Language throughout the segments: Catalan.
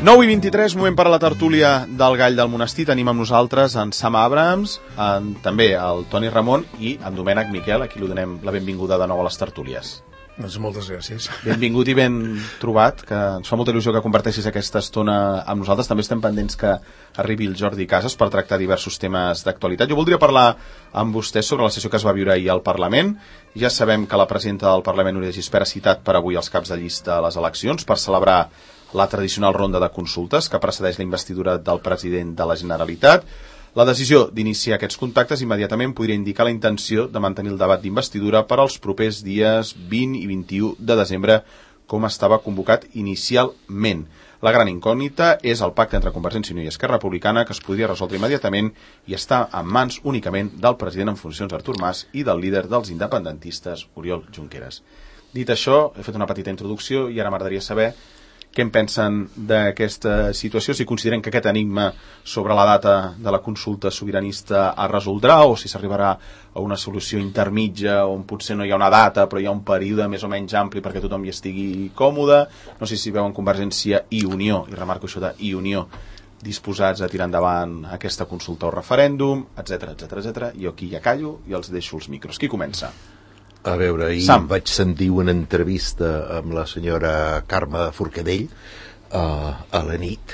9:23, moment per a la tertúlia del Gall del Monestir. Tenim amb nosaltres en Sam Abrams, també el Toni Ramon i en Domènec Miquel, a qui li donem la benvinguda de nou a les tertúlies. Doncs moltes gràcies. Benvingut i ben trobat, que ens fa molta il·lusió que comparteixis aquesta estona amb nosaltres. També estem pendents que arribi el Jordi Casas per tractar diversos temes d'actualitat. Jo voldria parlar amb vostès sobre la sessió que es va viure ahir al Parlament. Ja sabem que la presidenta del Parlament, Núria de Gispert, ha citat per avui els caps de llista a les eleccions per celebrar la tradicional ronda de consultes que precedeix la investidura del president de la Generalitat. La decisió d'iniciar aquests contactes immediatament podria indicar la intenció de mantenir el debat d'investidura per als propers dies 20 i 21 de desembre, com estava convocat inicialment. La gran incògnita és el pacte entre Convergència i Unió i Esquerra Republicana, que es podria resoldre immediatament i està en mans únicament del president en funcions Artur Mas i del líder dels independentistes, Oriol Junqueras. Dit això, he fet una petita introducció i ara m'agradaria saber què en pensen d'aquesta situació, si consideren que aquest enigma sobre la data de la consulta sobiranista es resoldrà o si s'arribarà a una solució intermitja on potser no hi ha una data però hi ha un període més o menys ampli perquè tothom hi estigui còmode. No sé si veuen Convergència i Unió, i remarco això de i Unió, disposats a tirar endavant aquesta consulta o referèndum, etc etc. Jo aquí ja callo i els deixo els micros. Qui comença? A veure, ahir vaig sentir una entrevista amb la senyora Carme Forcadell a la nit,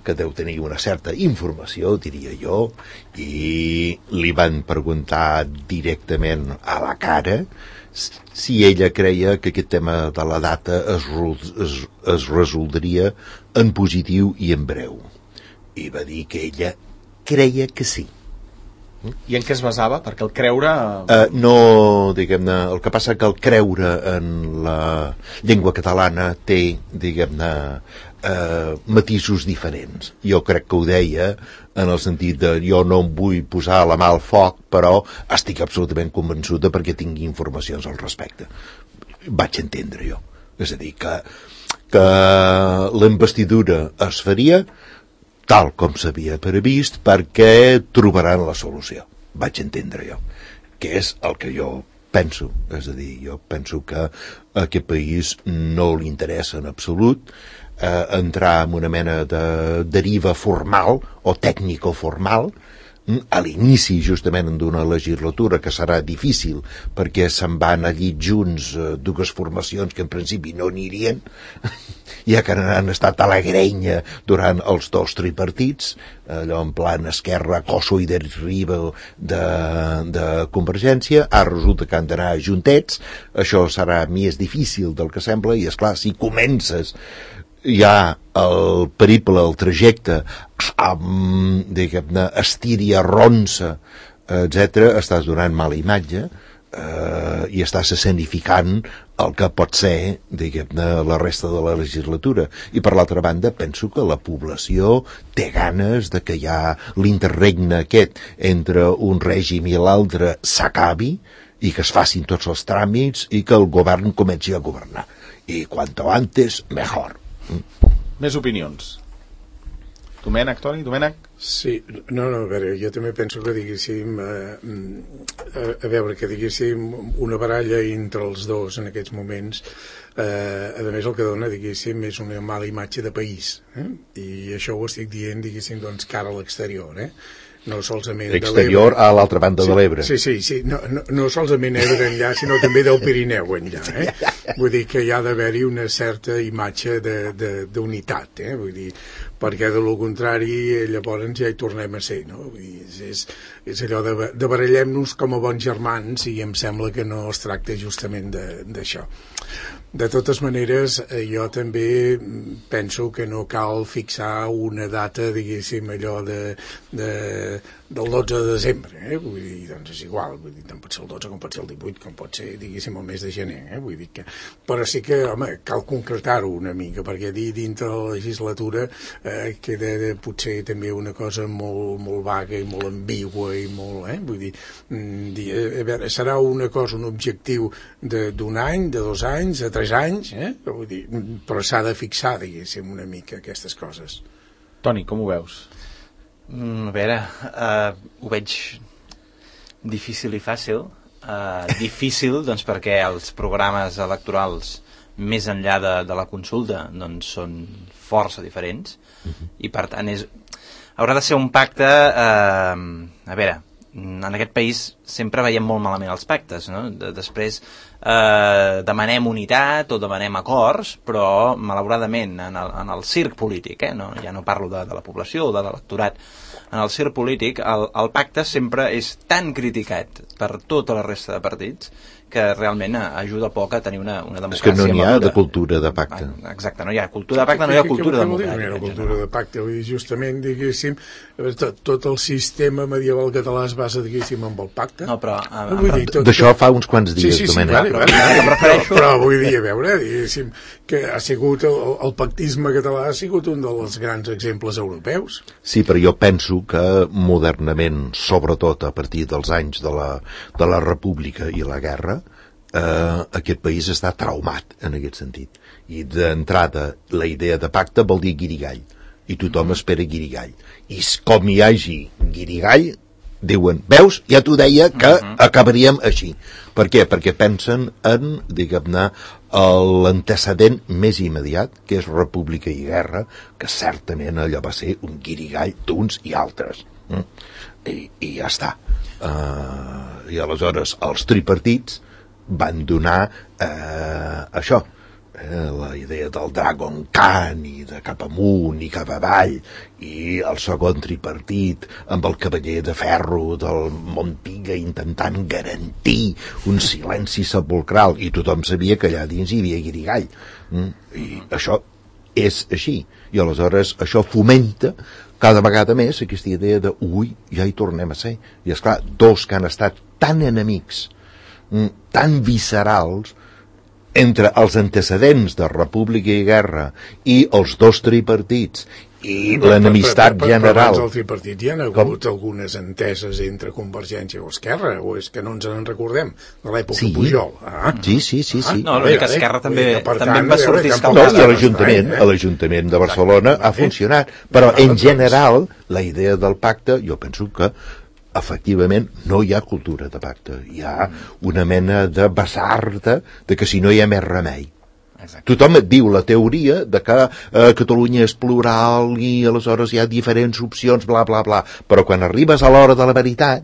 que deu tenir una certa informació, diria jo, i li van preguntar directament a la cara si ella creia que aquest tema de la data es resoldria en positiu i en breu. I va dir que ella creia que sí. I en què es basava? Perquè el creure... No, diguem-ne, el que passa que el creure en la llengua catalana té, diguem-ne, matisos diferents. Jo crec que ho deia en el sentit de jo no em vull posar la mà al foc, però estic absolutament convençuda perquè tinc informacions al respecte. Vaig entendre jo. És a dir, que la investidura es faria tal com s'havia previst perquè trobaran la solució. Vaig entendre jo. Que és el que jo penso. És a dir, jo penso que a aquest país no li interessa en absolut entrar en una mena de deriva formal o tècnico-formal a l'inici justament d'una legislatura que serà difícil perquè se'n van allí junts dues formacions que en principi no anirien, ja que han estat a la grenya durant els dos tripartits, allò en plan Esquerra, Coso i Derriba de Convergència. Ara resulta que han d'anar juntets, això serà més difícil del que sembla, i esclar, si comences ja el periple, el trajecte amb, diguem-ne, estíria, ronça, etc., estàs donant mala imatge i estàs escenificant el que pot ser, diguem-ne, la resta de la legislatura. I per l'altra banda penso que la població té ganes de que ja l'interregne aquest entre un règim i l'altre s'acabi i que es facin tots els tràmits i que el govern comenci a governar. I quanto antes, mejor. Més opinions. Domènec, Toni? Domènec? Sí, no, a veure, jo també penso que diguéssim a veure, que diguéssim una baralla entre els dos en aquests moments, a més el que dona, diguéssim, és una mala imatge de país, i això ho estic dient, diguéssim, doncs cara a l'exterior, no solament exterior a l'altra banda de l'Ebre. Sí, no solament Ebre enllà, sinó també del Pirineu enllà, Vull dir que hi ha d'haver-hi una certa imatge d'unitat, vull dir, perquè de lo contrari llavors ja hi tornem a ser, no? Vull dir, és allò de barallem-nos com a bons germans i em sembla que no es tracta justament d'això. De totes maneres, jo també penso que no cal fixar una data, diguéssim, allò del 12 de desembre, vull dir, doncs és igual, vull dir, tant pot ser el 12 com pot ser el 18, com pot ser, diguéssim, el mes de gener, vull dir que... Però sí que, home, cal concretar-ho una mica, perquè dintre la legislatura queda potser també una cosa molt, molt vaga i molt ambigua i molt, vull dir, a veure, serà una cosa, un objectiu d'un any, de 2 anys, de 3 anys, vull dir, però s'ha de fixar, diguéssim, una mica aquestes coses. Toni, com ho veus? A veure, ho veig difícil i fàcil. Difícil, doncs, perquè els programes electorals més enllà de la consulta, doncs són força diferents, i per tant haurà de ser un pacte, a veure, en aquest país sempre veiem molt malament els pactes, no? Després demanem unitat o demanem acords, però malauradament en el circ polític, no? Ja no parlo de la població o de l'electorat, en el circ polític el pacte sempre és tan criticat per tota la resta de partits que realment ajuda poc a tenir una democràcia. És que no n'hi ha madura. de cultura de pacte. Exacte, no hi ha cultura de pacte, no hi ha cultura democràtica. No hi ha cultura de pacte, justament, diguéssim, tot el sistema medieval català es basa, diguéssim, en el pacte. No, però... D'això fa uns quants dies, Domènec. Però vull dir, a veure, diguéssim, que ha sigut el pactisme català ha sigut un dels grans exemples europeus. Sí, però jo penso que modernament, sobretot a partir dels anys de la República i la Guerra, aquest país està traumat en aquest sentit. I d'entrada la idea de pacte vol dir guirigall, i tothom espera guirigall. I com hi hagi guirigall, diuen, veus, ja t'ho deia que acabaríem així. Per què? Perquè pensen en, diguem-ne, l'antecedent més immediat, que és República i Guerra, que certament allò va ser un guirigall d'uns i altres. I ja està. I aleshores els tripartits van donar això, la idea del Dragon Khan i de cap amunt i cap avall, i el segon tripartit amb el cavaller de ferro del Montpiga intentant garantir un silenci sepulcral, i tothom sabia que allà dins hi havia guirigall. I això és així, i aleshores això fomenta cada vegada més aquesta idea de ui, ja hi tornem a ser. I esclar, dos que han estat tan enemics, tan viscerals, entre els antecedents de República i Guerra i els dos tripartits i l'enemistat general. Però abans del tripartit hi ha hagut algunes enteses entre Convergència i Esquerra, o és que no ens en recordem, de l'època Pujol. Sí. No, l'únic que Esquerra també tant, va sortir escaldat. I a l'Ajuntament de Barcelona ha funcionat, però en general la idea del pacte, jo penso que efectivament no hi ha cultura de pacte, hi ha una mena de basarda de que si no hi ha més remei. Exacte. Tothom et diu la teoria de que Catalunya és plural i aleshores hi ha diferents opcions, bla bla bla, però quan arribes a l'hora de la veritat,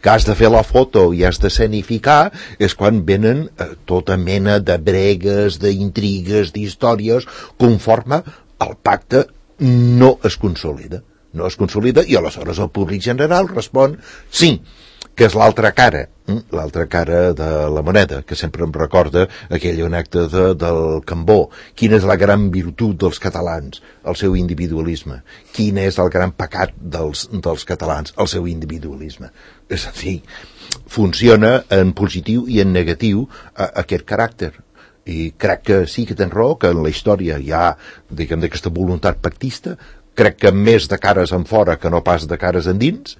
que has de fer la foto i has d'escenificar, és quan venen tota mena de bregues, d'intrigues, d'històries, conforme el pacte no es consolida. No es consolida, i aleshores el públic general respon sí, que és l'altra cara de la moneda, que sempre em recorda aquella anècdota del Cambó. Quina és la gran virtut dels catalans? El seu individualisme. Quin és el gran pecat dels catalans? El seu individualisme. És a dir, funciona en positiu i en negatiu aquest caràcter. I crec que sí que tens raó, que en la història hi ha, diguem, d'aquesta voluntat pactista, crec que més de cares en fora que no pas de cares endins,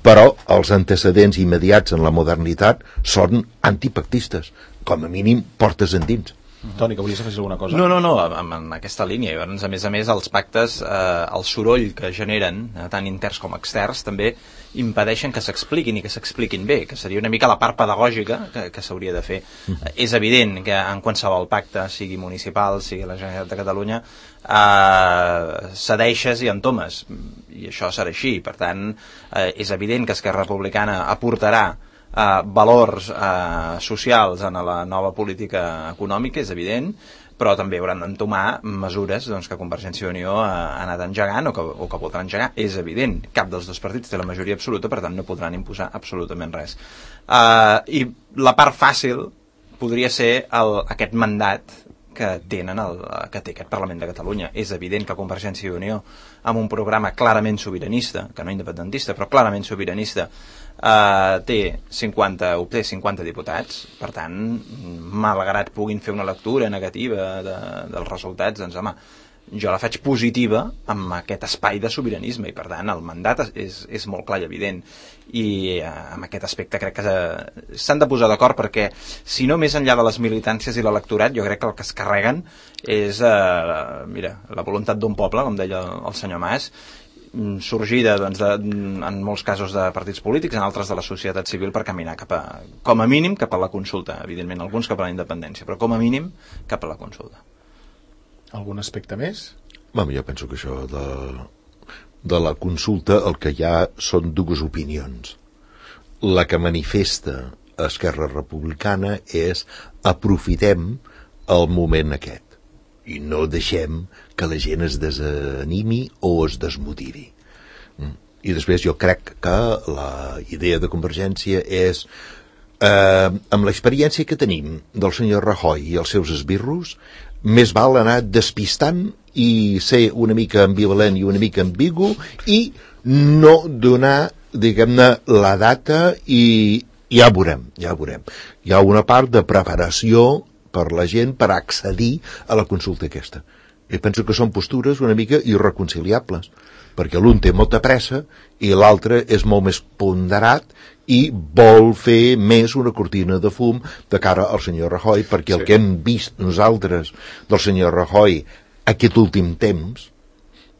però els antecedents immediats en la modernitat són antipactistes, com a mínim portes endins. Toni, que volies afegir alguna cosa? No, en aquesta línia. Llavors, a més, els pactes, el soroll que generen, tant interns com externs, també impedeixen que s'expliquin i que s'expliquin bé, que seria una mica la part pedagògica que s'hauria de fer. És evident que en qualsevol pacte, sigui municipal, sigui la Generalitat de Catalunya, cedeixes i entomes, i això serà així. Per tant, és evident que Esquerra Republicana aportarà valors socials en la nova política econòmica, és evident, però també hauran d'entomar mesures que Convergència i Unió ha anat engegant o que voldran engegar, és evident. Cap dels dos partits té la majoria absoluta, per tant no podran imposar absolutament res. I la part fàcil podria ser aquest mandat que té aquest Parlament de Catalunya. És evident que Convergència i Unió, amb un programa clarament sobiranista, que no independentista, però clarament sobiranista, té 50 diputats. Per tant, malgrat puguin fer una lectura negativa dels resultats, doncs home, jo la faig positiva amb aquest espai de sobiranisme, i per tant el mandat és molt clar i evident, i amb aquest aspecte crec que s'han de posar d'acord, perquè si no, més enllà de les militàncies i l'electorat, jo crec que el que es carreguen és la voluntat d'un poble, com deia el senyor Mas, sorgida doncs, en molts casos de partits polítics, en altres de la societat civil, per caminar com a mínim cap a la consulta, evidentment alguns cap a la independència, però com a mínim cap a la consulta. Algun aspecte més? Jo penso que això de la consulta el que hi ha són dues opinions. La que manifesta Esquerra Republicana és aprofitem el moment aquest i no deixem que la gent es desanimi o es desmotivi. I després jo crec que la idea de Convergència és amb l'experiència que tenim del senyor Rajoy i els seus esbirros, més val anar despistant i ser una mica ambivalent i una mica ambigu i no donar, diguem-ne, la data i ja veurem. Hi ha una part de preparació per la gent per accedir a la consulta aquesta. I penso que són postures una mica irreconciliables, perquè l'un té molta pressa i l'altre és molt més ponderat i vol fer més una cortina de fum de cara al senyor Rajoy, perquè el que hem vist nosaltres del senyor Rajoy aquest últim temps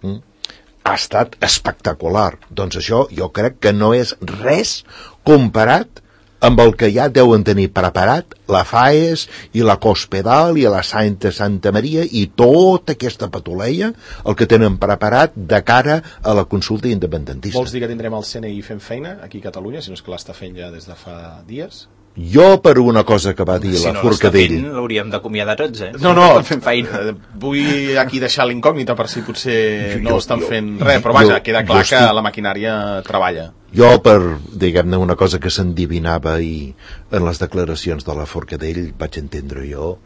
ha estat espectacular. Doncs això jo crec que no és res comparat amb el que ja deuen tenir preparat la FAES i la Cospedal i la Santa Maria i tota aquesta patuleia, el que tenen preparat de cara a la consulta independentista. Vols dir que tindrem el CNI fent feina aquí a Catalunya, si no és que l'està fent ja des de fa dies? Jo, per una cosa que va dir la Forcadell... Si no l'hauríem d'acomiadar tots, No, fent feina. Vull aquí deixar l'incògnita per si potser no estan fent res, però vaja, queda clar que la maquinària treballa. Jo, per, diguem-ne, una cosa que s'endivinava i en les declaracions de la Forcadell vaig entendre jo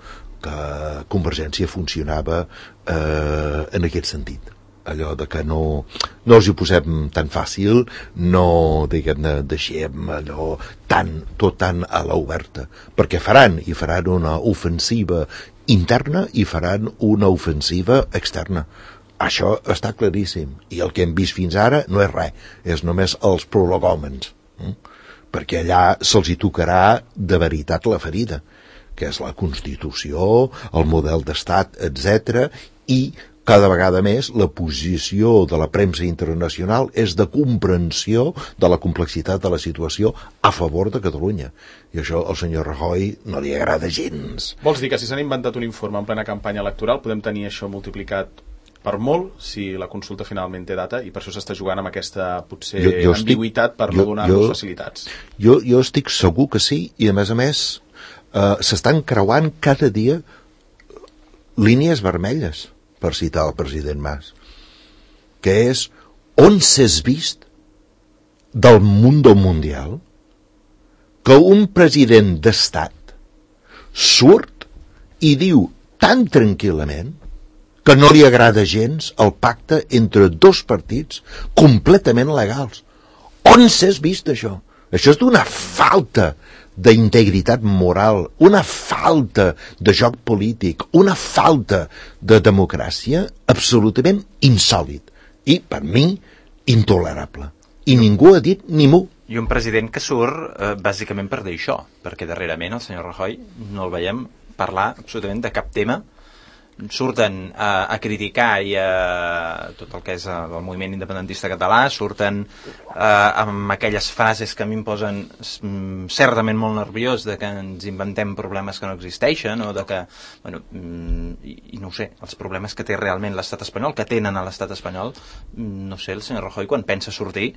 que Convergència funcionava en aquest sentit. Allò de que no els hi posem tan fàcil, no, diguem-ne, deixem allò tot tan a l'oberta, perquè faran una ofensiva interna i faran una ofensiva externa. Això està claríssim, i el que hem vist fins ara no és res, és només els prolegòmens, perquè allà se'ls hi tocarà de veritat la ferida, que és la Constitució, el model d'estat, etc. I cada vegada més la posició de la premsa internacional és de comprensió de la complexitat de la situació a favor de Catalunya. I això al senyor Rajoy no li agrada gens. Vols dir que si s'han inventat un informe en plena campanya electoral podem tenir això multiplicat per molt si la consulta finalment té data i per això s'està jugant amb aquesta potser ambigüitat per no donar-nos facilitats? Jo estic segur que sí, i a més s'estan creuant cada dia línies vermelles, per citar el president Mas, que és on s'has vist del mundo mundial que un president d'estat surt i diu tan tranquil·lament que no li agrada gens el pacte entre dos partits completament legals. On s'has vist això? Això és d'una falta d'integritat moral, una falta de joc polític, una falta de democràcia absolutament insòlit i, per mi, intolerable. I ningú ha dit ni mu. I un president que surt bàsicament per dir això, perquè darrerament el senyor Rajoy no el veiem parlar absolutament de cap tema. Surten a criticar i tot el que és el moviment independentista català, surten amb aquelles frases que a mi em posen certament molt nerviós de que ens inventem problemes que no existeixen o de que, bueno, i no ho sé, els problemes que té realment l'estat espanyol, que tenen a l'estat espanyol, no sé, el senyor Rajoy quan pensa sortir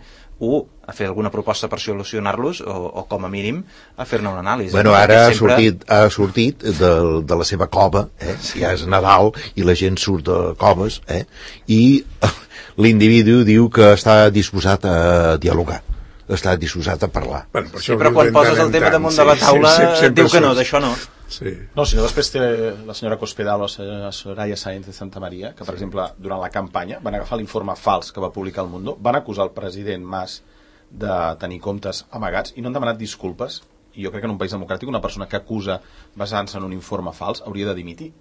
a fer alguna proposta per solucionar-los o com a mínim a fer-ne una anàlisi. Bueno, ara ha sortit de la seva cova, ja és Nadal i la gent surt de coves, i l'individu diu que està disposat a dialogar, està disposat a parlar. Bueno, però quan poses el tema damunt de la taula diu que no, d'això no. Sí. No, si no, després té la senyora Cospedal o la Soraya Sáenz de Santa Maria, que per exemple durant la campanya van agafar l'informe fals que va publicar El Mundo, van acusar el president Mas de tenir comptes amagats i no han demanat disculpes. I jo crec que en un país democràtic una persona que acusa basant-se en un informe fals hauria de dimitir.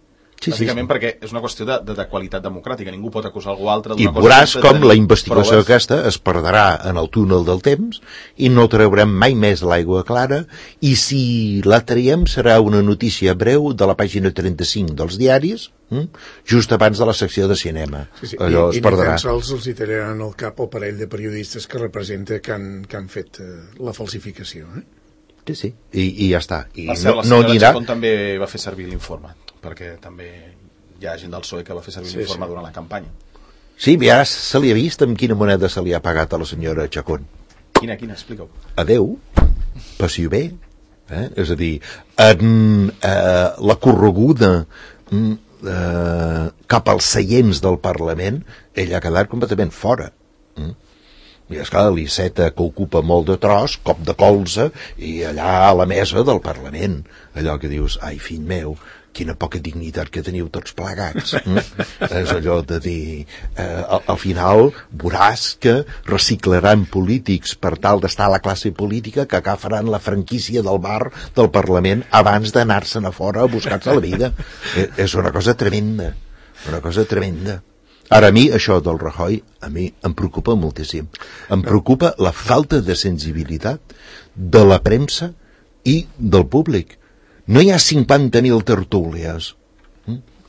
Bàsicament perquè és una qüestió de qualitat democràtica. Ningú pot acusar algú altre I d'una cosa. veuràs com la investigació aquesta es perdrà en el túnel del temps i no traurem mai més l'aigua clara, i si la traiem serà una notícia breu de la pàgina 35 dels diaris, just abans de la secció de cinema. Sí. Allò es perdrà. I ni tan sols els hi traran al cap el parell de periodistes que representa que han fet la falsificació. Sí. I ja està. I la senyora Chacón també va fer servir l'informe, perquè també hi ha gent del PSOE que va fer servir l'informe durant la campanya. Sí, ja se li ha vist amb quina moneda se li ha pagat a la senyora Chacón. Quina, explica-ho. Adeu, passi bé. És a dir, la correguda cap als seients del Parlament, ella ha quedat completament fora. I esclar, l'Iceta, que ocupa molt de tros, cop de colze, i allà a la mesa del Parlament, allò que dius, ai, fill meu, quina poca dignitat que teniu tots plegats. És allò de dir, al final veuràs que reciclaran polítics per tal d'estar a la classe política, que agafaran la franquícia del bar del Parlament abans d'anar-se'n a fora a buscar-se la vida. És una cosa tremenda, una cosa tremenda. Ara, a mi, això del Rajoy, a mi em preocupa moltíssim. Em preocupa la falta de sensibilitat de la premsa i del públic. No hi ha 50.000 tertúlies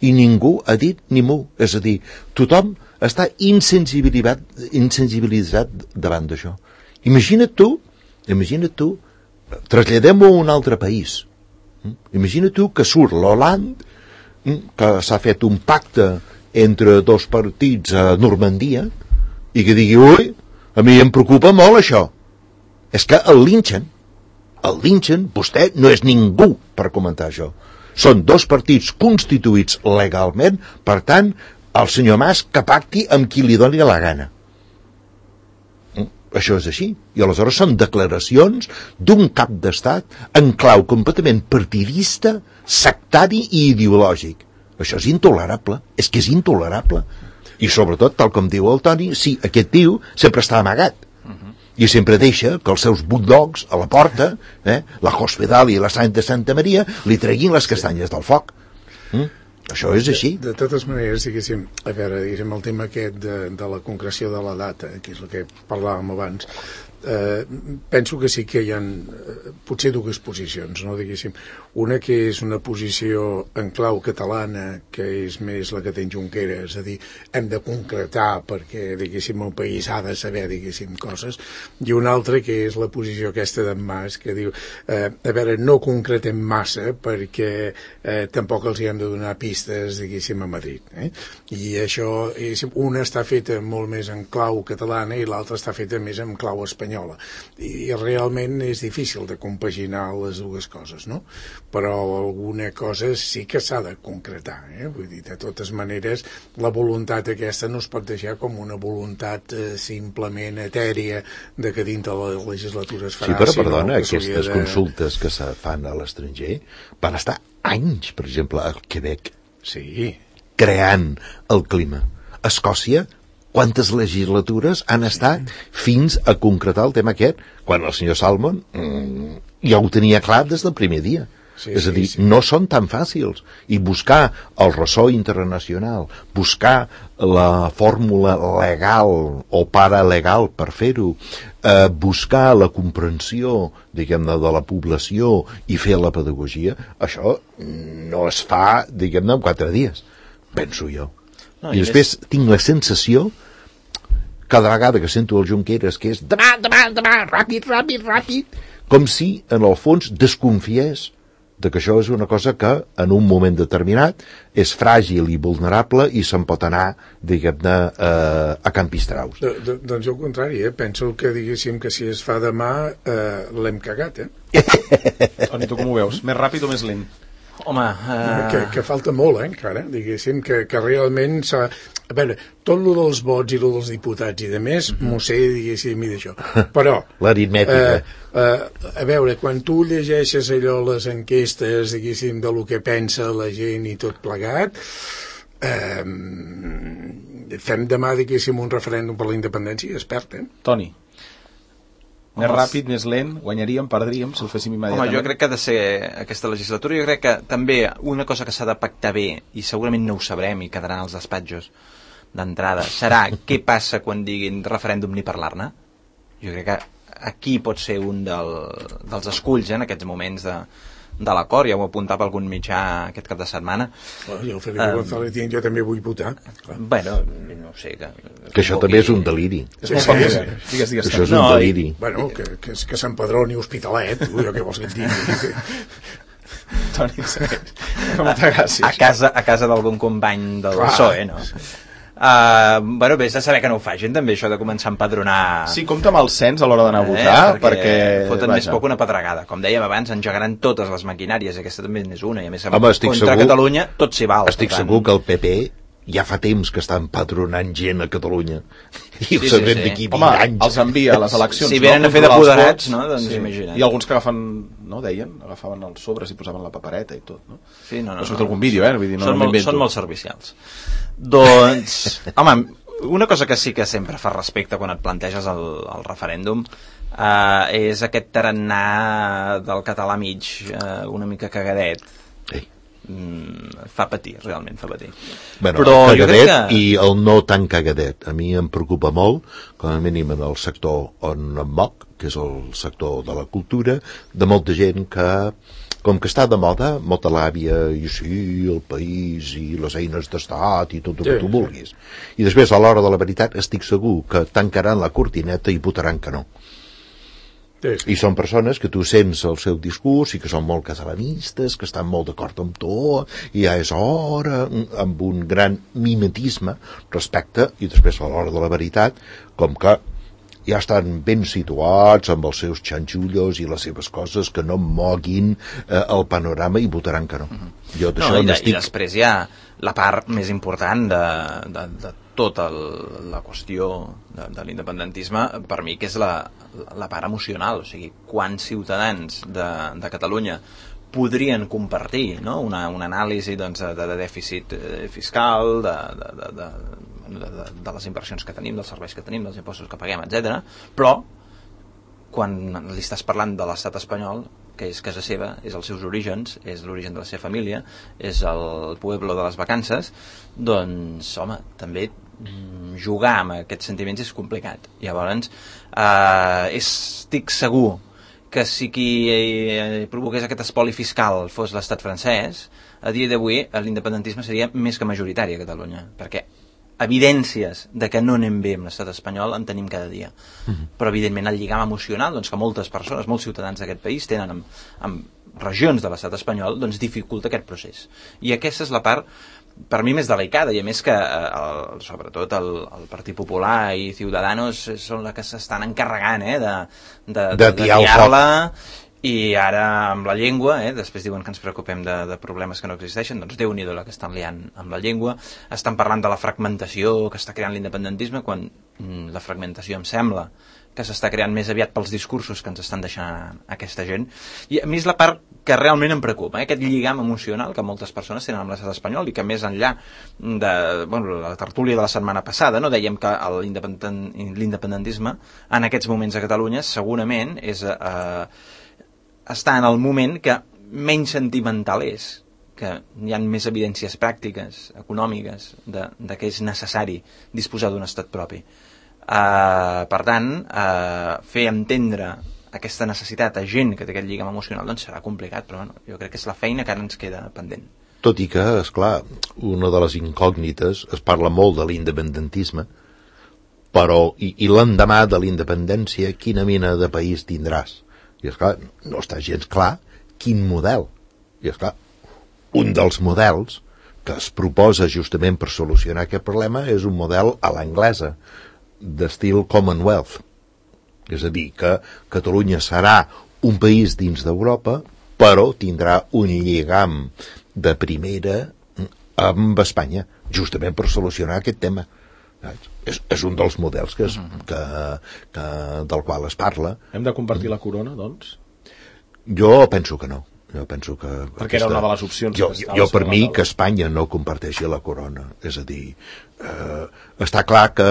i ningú ha dit ni mu. És a dir, tothom està insensibilitzat davant d'això. Imagina't tu, traslladem-ho a un altre país. Imagina't tu que surt l'Hollande, que s'ha fet un pacte entre dos partits a Normandia, i que digui, ui, a mi em preocupa molt això. És que el linxen, vostè no és ningú per comentar això. Són dos partits constituïts legalment, per tant, el senyor Mas que pacti amb qui li doni la gana. Això és així. I aleshores són declaracions d'un cap d'estat en clau completament partidista, sectari i ideològic. Això és intolerable, és que és intolerable. I sobretot, tal com diu el Toni, sí, aquest tio sempre està amagat. I sempre deixa que els seus bulldogs a la porta, la Hospital i la Sant de Santa Maria, li treguin les castanyes del foc. Això és així. De totes maneres, diguéssim, a veure, diguéssim, el tema aquest de la concreció de la data, que és el que parlàvem abans, penso que sí que hi ha potser dues posicions, no? Diguéssim, una que és una posició en clau catalana, que és més la que té Junqueras, és a dir, hem de concretar perquè, diguéssim, el país ha de saber, diguéssim, coses, i una altra que és la posició aquesta d'en Mas, que diu, a veure, no concretem massa perquè tampoc els hi hem de donar pistes, diguéssim, a Madrid. I això, diguéssim, una està feta molt més en clau catalana i l'altra està feta més en clau espanyola. I realment és difícil de compaginar les dues coses, no? Però alguna cosa sí que s'ha de concretar, vull dir, de totes maneres la voluntat aquesta no es pot deixar com una voluntat simplement etèria de que dintre de la legislatura es farà. Sí, però perdona, aquestes consultes que se fan a l'estranger van estar anys, per exemple, al Quebec, creant el clima. A Escòcia, quantes legislatures han estat fins a concretar el tema aquest, quan el senyor Salmon ja ho tenia clar des del primer dia. És a dir, no són tan fàcils. I buscar el ressò internacional, buscar la fórmula legal o paralegal per fer-ho, buscar la comprensió, diguem-ne, de la població i fer la pedagogia, això no es fa, diguem-ne, en 4 dies, penso jo. I després tinc la sensació, cada vegada que sento el Junqueras, que és demà, ràpid, com si, en el fons, desconfiés de que això és una cosa que, en un moment determinat, és fràgil i vulnerable i se'n pot anar, diguem-ne, a Can Pistraus. Doncs jo al contrari, penso que, diguéssim, que si es fa demà, l'hem cagat, Toni, tu com ho veus? Més ràpid o més lent? Home... Que falta molt, encara, diguéssim, que realment s'ha... A veure, tot lo dels vots i lo dels diputats i de més, m'ho sé, diguéssim, i d'això. Però... L'aritmètica. A veure, quan tu llegeixes allò, les enquestes, diguéssim, de lo que pensa la gent i tot plegat, fem demà, diguéssim, un referèndum per la independència i es perd, Toni. Més ràpid, més lent, guanyaríem, perdríem, si ho féssim immediatament. Home, jo crec que ha de ser aquesta legislatura, jo crec que també una cosa que s'ha de pactar bé, i segurament no ho sabrem i quedaran als despatxos d'entrada, serà què passa quan diguin referèndum ni parlar-ne. Jo crec que aquí pot ser un dels esculls en aquests moments de l'acord, ja ho apuntava algun mitjà aquest cap de setmana. Jo, Felipe González, jo també vull votar. Bueno, no ho sé. Que això també és un deliri. És molt poc. Digues. Això és un deliri. Bueno, que s'empadroni Hospitalet, què vols que et digui? Toni, molta gràcia. A casa d'algun company del PSOE, no? Bueno, vés a saber que no ho facin també, això de començar a empadronar. Sí, compta amb el cens a l'hora d'anar a votar, perquè foten més poc una pedregada. Com dèiem abans, engegaran totes les maquinàries, aquesta també n'és una, i a més contra Catalunya tot s'hi val. Estic segur que el PP ja fa temps que està empadronant gent a Catalunya i ho sabrem d'aquí 20 anys. Els envia a les eleccions. Si venen a fer d'apoderats, no? Doncs imagina't. I alguns que agafaven els sobres i posaven la papereta i tot, no? Sí, no. Però surt algun vídeo, vull dir, són molt servicials. Doncs, home, una cosa que sí que sempre fa respecte quan et planteges el referèndum és aquest tarannà del català mig una mica cagadet. Fa patir, realment fa patir. Bueno, però el cagadet i el no tan cagadet a mi em preocupa molt, com a mínim en el sector on em moc, que és el sector de la cultura, de molta gent que, com que està de moda, molta l'àvia, i sí, el país i les eines d'estat i tot el que tu vulguis, i després a l'hora de la veritat estic segur que tancaran la cortineta i votaran que no. I són persones que tu sents el seu discurs i que són molt catalanistes, que estan molt d'acord amb tu, i ja és hora, amb un gran mimetisme respecte, i després a l'hora de la veritat, com que ja estan ben situats amb els seus xanxullos i les seves coses que no moguin el panorama i votaran que no. Jo d'això n'estic... I després hi ha la part més important de tota la qüestió de l'independentisme, per mi, que és la part emocional. O sigui, quants ciutadans de Catalunya podrien compartir, no? una anàlisi doncs, de dèficit fiscal, de les inversions que tenim, dels serveis que tenim, dels impostos que paguem, etc. Però quan li estàs parlant de l'estat espanyol, que és casa seva, és els seus orígens, és l'origen de la seva família, és el pueblo de les vacances, doncs, home, també jugar amb aquests sentiments és complicat. Llavors, estic segur que si qui provoqués aquest espoli fiscal fos l'estat francès, a dia d'avui l'independentisme seria més que majoritari a Catalunya, perquè evidències de que no anem bé amb l'estat espanyol en tenim cada dia. Però evidentment el lligam emocional, doncs, que moltes persones, molts ciutadans d'aquest país tenen amb regions de l'estat espanyol, doncs dificulta aquest procés. I aquesta és la part per mi més delicada, i a més que sobretot el Partit Popular i Ciudadanos són les que s'estan encarregant de tiar-la. I ara amb la llengua, després diuen que ens preocupem de problemes que no existeixen, doncs Déu-n'hi-do la que estan liant amb la llengua. Estan parlant de la fragmentació que està creant l'independentisme, quan la fragmentació em sembla que s'està creant més aviat pels discursos que ens estan deixant aquesta gent. I a mi és la part que realment em preocupa, aquest lligam emocional que moltes persones tenen amb l'estat espanyol, i que més enllà de la tertúlia de la setmana passada, no dèiem que l'independentisme en aquests moments a Catalunya segurament està en el moment que menys sentimental és, que hi ha més evidències pràctiques, econòmiques, de que és necessari disposar d'un estat propi. Per tant, fer entendre aquesta necessitat a gent que té aquest lligam emocional doncs serà complicat, però bueno, jo crec que és la feina que ara ens queda pendent. Tot i que, esclar, una de les incògnites, es parla molt de l'independentisme, però i l'endemà de la independència quina mena de país tindràs? I esclar, no està gens clar quin model. I esclar, un dels models que es proposa justament per solucionar aquest problema és un model a l'anglesa, d'estil Commonwealth. És a dir, que Catalunya serà un país dins d'Europa, però tindrà un lligam de primera amb Espanya, justament per solucionar aquest tema. És un dels models del qual es parla. Hem de compartir la corona, doncs? Jo penso que no. Perquè era una de les opcions. Jo per mi que Espanya no comparteixi la corona. És a dir, està clar que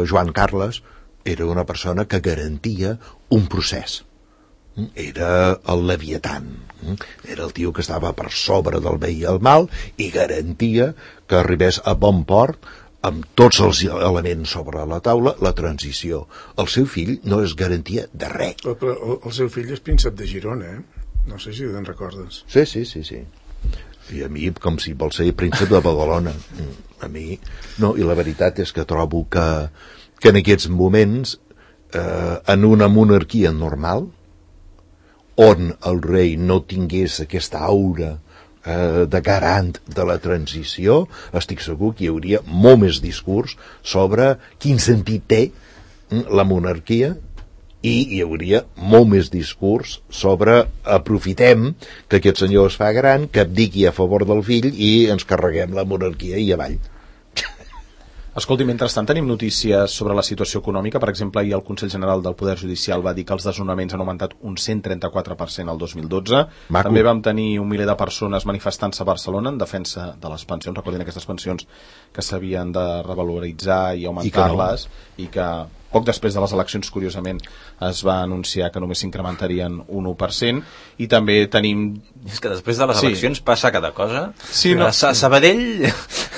Joan Carles era una persona que garantia un procés. Era el Leviatan, era el tio que estava per sobre del bé i el mal i garantia que arribés a bon port amb tots els elements sobre la taula, la transició. El seu fill no es garantia de res. Però el seu fill és príncep de Girona, No sé si te'n recordes. Sí. I a mi, com si vol ser príncep de Badalona. A mi, no, i la veritat és que trobo que en aquests moments, en una monarquia normal, on el rei no tingués aquesta aura de garant de la transició, estic segur que hi hauria molt més discurs sobre quin sentit té la monarquia i hi hauria molt més discurs sobre aprofitem que aquest senyor es fa gran, que abdiqui a favor del fill i ens carreguem la monarquia i avall. Escolti, mentrestant tenim notícies sobre la situació econòmica. Per exemple, ahir el Consell General del Poder Judicial va dir que els desnonaments han augmentat un 134% el 2012. Maco. També vam tenir 1 miler de persones manifestant-se a Barcelona en defensa de les pensions. Recordin aquestes pensions que s'havien de revaloritzar i augmentar-les i que poc després de les eleccions, curiosament, es va anunciar que només s'incrementarien un 1%, i també tenim... És que després de les eleccions passa cada cosa. Sí, no. A Sabadell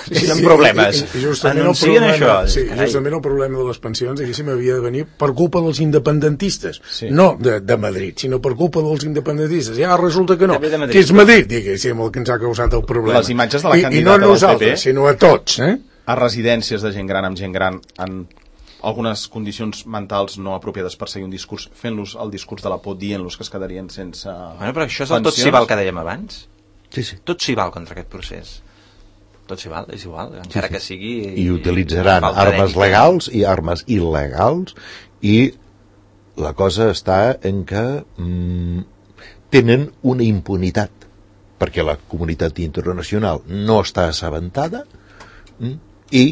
tenen problemes. Anuncien això. Sí, justament el problema de les pensions diguéssim havia de venir per culpa dels independentistes, no de Madrid, sinó per culpa dels independentistes. Ja resulta que no, que és Madrid, diguéssim, el que ens ha causat el problema. Les imatges de la candidata i no nosaltres, sinó a tots. A residències de gent gran amb gent gran en algunes condicions mentals no apropiades per seguir un discurs, fent-los el discurs de la por, dient-los que es quedarien sense bueno, però això és el tot s'hi val que dèiem abans. Sí. Tot s'hi val contra aquest procés. Tot s'hi val, és igual, encara que sigui... I utilitzaran armes legals i armes il·legals, i la cosa està en que tenen una impunitat, perquè la comunitat internacional no està assabentada, i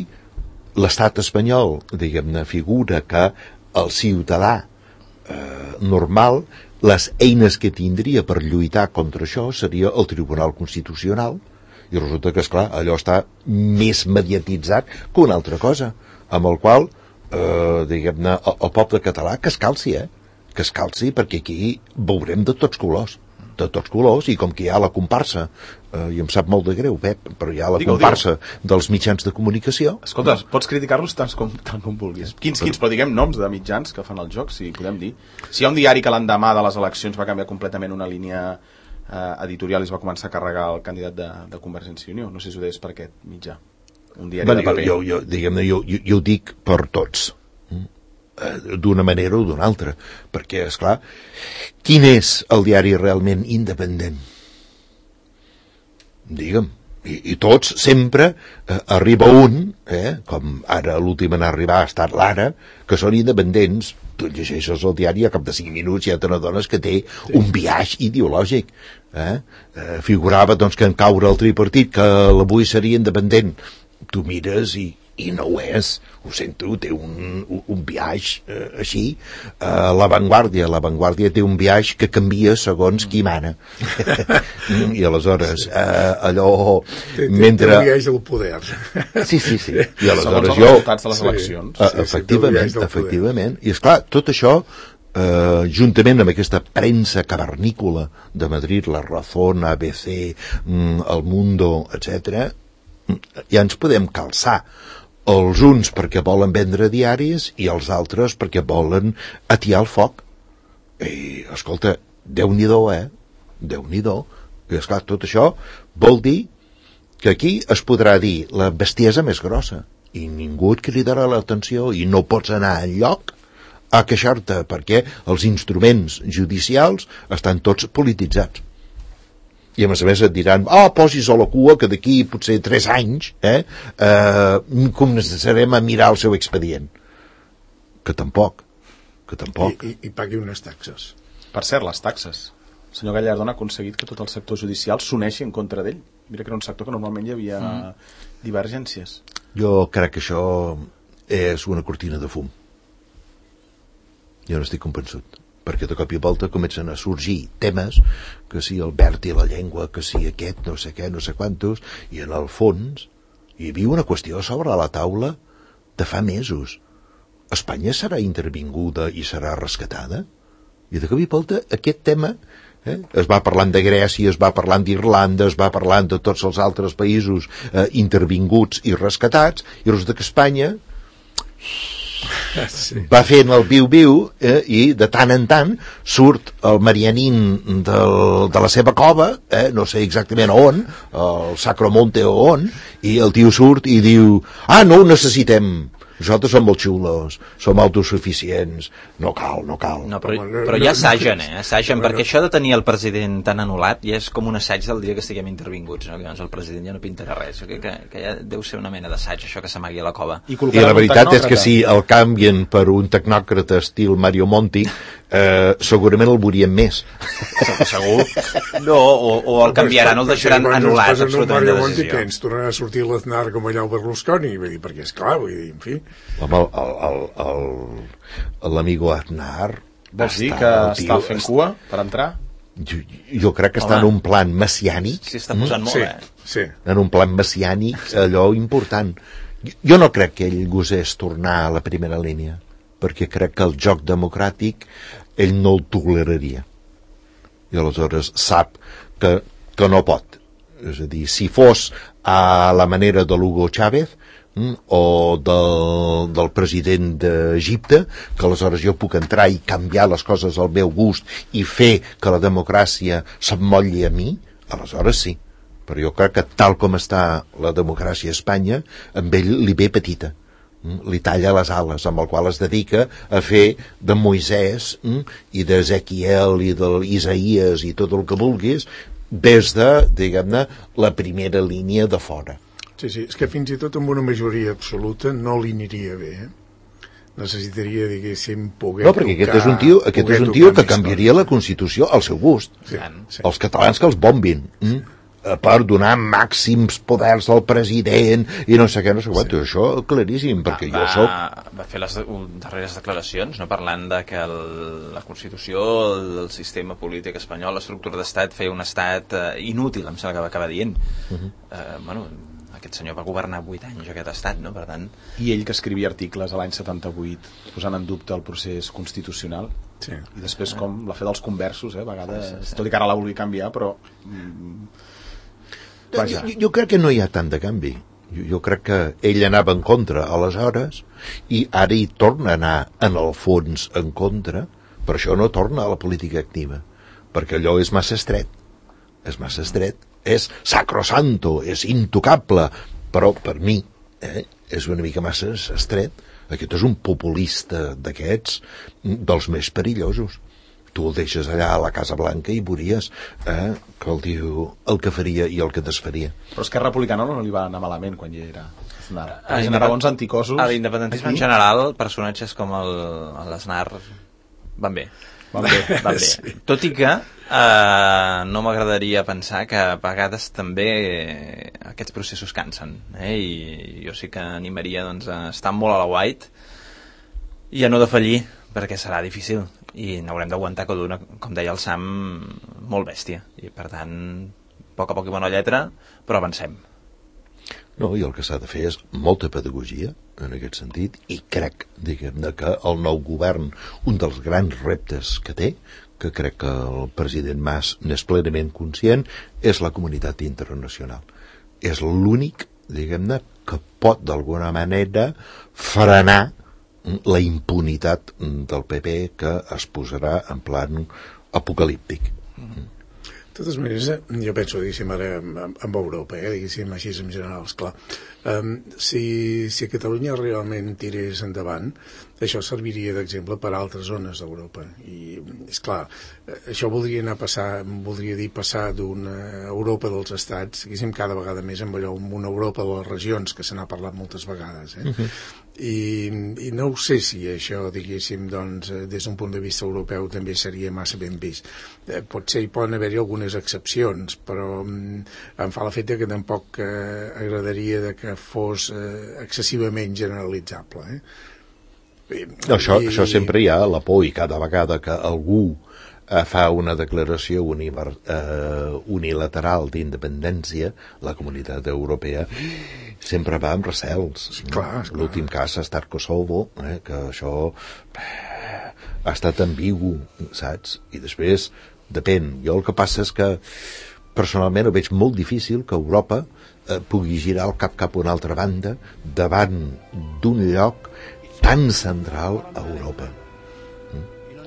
l'estat espanyol, diguem-ne, figura que el ciutadà normal, les eines que tindria per lluitar contra això seria el Tribunal Constitucional, i resulta que, esclar, allò està més mediatitzat que una altra cosa, amb el qual, diguem-ne, el poble català que es calci, que es calci, perquè aquí veurem de tots colors, i com que hi ha la comparsa, i em sap molt de greu, Pep, però hi ha la comparsa dels mitjans de comunicació. Escolta, pots criticar-los tant com vulguis. Quins, però diguem noms de mitjans que fan el joc, si podem dir. Si hi ha un diari que l'endemà de les eleccions va canviar completament una línia editorial i es va començar a carregar el candidat de Convergència i Unió, no sé si ho deies per aquest mitjà. Un diari de paper. Jo ho dic per tots, d'una manera o d'una altra, perquè, esclar, quin és el diari realment independent? Digue'm, i tots sempre arriba un, com ara l'últim en arribar ha estat l'Ara, que són independents. Tu llegeixes el diari, a cap de 5 minuts ja te n'adones que té un biaix ideològic. Figurava doncs que en caure el tripartit que l'avui seria independent. Tu mires i no ho és, ho sento, té un biaix així. La Vanguardia té un biaix que canvia segons qui mana. I aleshores allò mentre... Té un biaix del poder. Sí. I aleshores segons els resultats de les eleccions. Efectivament. I esclar, tot això juntament amb aquesta premsa cavernícola de Madrid, La Razón, ABC, El Mundo, etc., ja ens podem calçar, els uns perquè volen vendre diaris i els altres perquè volen atiar el foc. I, escolta, Déu-n'hi-do, Déu-n'hi-do. I, esclar, tot això vol dir que aquí es podrà dir la bestiesa més grossa i ningú et cridarà l'atenció i no pots anar enlloc a queixar-te perquè els instruments judicials estan tots polititzats. I a més et diran, posis a la cua que d'aquí potser 3 anys començarem a mirar el seu expedient. Que tampoc. I pagui unes taxes. Per cert, les taxes. El senyor Gallardón ha aconseguit que tot el sector judicial s'uneixi en contra d'ell. Mira que era un sector que normalment hi havia divergències. Jo crec que això és una cortina de fum. Jo no estic convençut, perquè de cop i volta comencen a sorgir temes, que si el verd i la llengua, que si aquest, no sé què, no sé quantos, i en el fons hi havia una qüestió sobre la taula de fa mesos, Espanya serà intervinguda i serà rescatada? I de cop i volta aquest tema es va parlant de Grècia, es va parlant d'Irlanda, es va parlant de tots els altres països intervinguts i rescatats, i resulta que Espanya va fent el viu-viu i de tant en tant surt el Marianín de la seva cova, no sé exactament on, el Sacromonte o on, i el tio surt i diu no ho necessitem, nosaltres som molt xulos, som autosuficients, no cal. No, però ja assagen, assagen, perquè això de tenir el president tan anul·lat ja és com un assaig del dia que estiguem intervinguts, no? Que llavors el president ja no pintarà res, que ja deu ser una mena d'assaig, això que s'amagui a la cova. I la veritat és que si el canvien per un tecnòcrata estil Mario Monti, segurament el veuríem més. Segur. No, o el canviaran, el deixaran anul·lat absolutament de decisió. Que ens tornarà a sortir l'Aznar com allà el Berlusconi, perquè és clar, vull dir, en fi. Home, l'amigo Aznar... Vols dir que està fent cua per entrar? Jo crec que està en un plan messiànic. Sí, està posant molt, Sí. En un plan messiànic, allò important. Jo no crec que ell gosés tornar a la primera línia, perquè crec que el joc democràtic ell no el toleraria. I aleshores sap que no pot. És a dir, si fos a la manera de l'Hugo Chávez o del president d'Egipte, que aleshores jo puc entrar i canviar les coses al meu gust i fer que la democràcia s'emmotlli a mi, aleshores sí. Però jo crec que tal com està la democràcia a Espanya, amb ell li ve petita. Li talla les ales, amb el qual es dedica a fer de Moisès i d'Ezequiel i d'Isaïes i tot el que vulguis des de, diguem-ne, la primera línia de fora. Sí, és que fins i tot amb una majoria absoluta no li aniria bé, necessitaria, diguéssim, poder no, perquè aquest és un tio que canviaria la Constitució al seu gust. Sí. Els catalans que els bombin per donar màxims poders al president i no sé què, això claríssim, perquè jo soc... Va fer les darreres declaracions, no, parlant de que la Constitució, el sistema polític espanyol, l'estructura d'estat, feia un estat inútil, em sembla que va acabar dient. Aquest senyor va governar 8 anys aquest estat, no? Per tant... I ell que escrivia articles a l'any 78 posant en dubte el procés constitucional, i després com la fe dels conversos, a vegades, tot i que ara la vulgui canviar, però... Jo crec que no hi ha tant de canvi. Jo crec que ell anava en contra aleshores i ara hi torna a anar en el fons en contra, per això no torna a la política activa, perquè allò és massa estret, és sacrosanto, és intocable, però per mi és una mica massa estret. Aquest és un populista d'aquests dels més perillosos. Tu el deixes allà a la Casa Blanca i veuries que el diu el que faria i el que desfaria. Però Esquerra Republicana no li va anar malament quan hi era Aznar. Generava uns anticosos. A l'independentisme en general, personatges com l'Aznar van bé. Sí. Tot i que no m'agradaria pensar que a vegades també aquests processos cansen, i jo sí que animaria a estar molt a la white i a no defallir, perquè serà difícil i n'haurem d'aguantar cada una, com deia el Sam, molt bèstia, i per tant a poc i bona lletra, però avancem. No, i el que s'ha de fer és molta pedagogia en aquest sentit, i crec, diguem-ne, que el nou govern, un dels grans reptes que té, que crec que el president Mas n'és plenament conscient, és la comunitat internacional. És l'únic, diguem-ne, que pot d'alguna manera frenar la impunitat del PP que es posarà en plan apocalíptic. De totes maneres, jo penso, diguéssim, ara amb Europa, diguéssim, així en general, esclar, si Catalunya realment tirés endavant, això serviria d'exemple per a altres zones d'Europa. I, esclar, això voldria dir passar d'una Europa dels estats, diguéssim, cada vegada més amb una Europa de les regions, que se n'ha parlat moltes vegades, I no ho sé si això, diguéssim, doncs, des d'un punt de vista europeu també seria massa ben vist. Potser hi poden haver-hi algunes excepcions, però em fa l'efecte que tampoc agradaria que fos excessivament generalitzable. Això sempre hi ha la por, i cada vegada que algú fa una declaració unilateral d'independència, la Comunitat Europea sempre va amb recels. Clar. L'últim cas ha estat Kosovo, que això ha estat ambigu, saps? I després, depèn. Jo el que passa és que personalment ho veig molt difícil que Europa pugui girar el cap a una altra banda davant d'un lloc tan central a Europa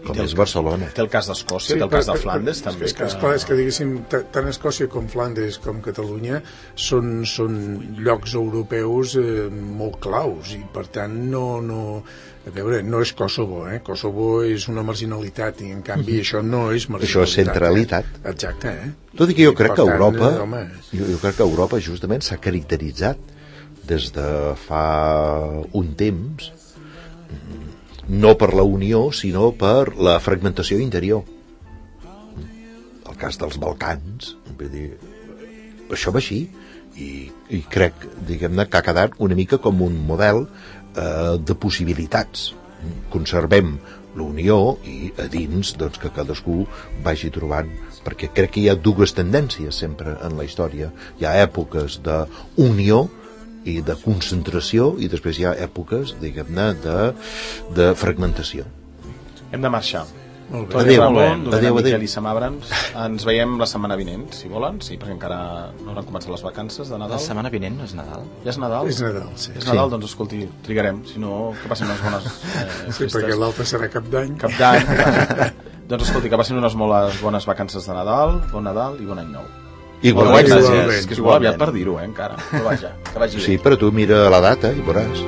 com és Barcelona. Té el cas d'Escòcia, té el cas de Flandes també. És que diguéssim, tant Escòcia com Flandes com Catalunya són llocs europeus molt claus i per tant no a veure, no és Kosovo, Kosovo és una marginalitat i en canvi això no és marginalitat. Això és centralitat. Exacte, Tot i que jo crec que Europa, jo crec que Europa justament s'ha caracteritzat des de fa un temps no per la unió, sinó per la fragmentació interior. El cas dels Balcans, vull dir, això va així, i crec, diguem-ne, que ha quedat una mica com un model de possibilitats. Conservem l'unió i a dins doncs, que cadascú vagi trobant, perquè crec que hi ha dues tendències sempre en la història. Hi ha èpoques d'unió i de concentració i després hi ha èpoques, diguem-ne, de fragmentació. Hem de marxar. Adéu, adéu, Miquel i Sam Abrams. Ens veiem la setmana vinent, si volen, sí, perquè encara no hauran començat les vacances de Nadal. La setmana vinent no és Nadal? Ja és Nadal? És Nadal, sí. És Nadal, doncs escolti, trigarem, si no, que passin unes bones festes. Sí, perquè l'altre serà Cap d'Any. Cap d'Any. Doncs escolti, que passin unes molt bones vacances de Nadal, bon Nadal i bon any nou. Igualment. És que és molt aviat per dir-ho, encara. Però vaja, que vagi bé. Sí, però tu mira la data i veuràs.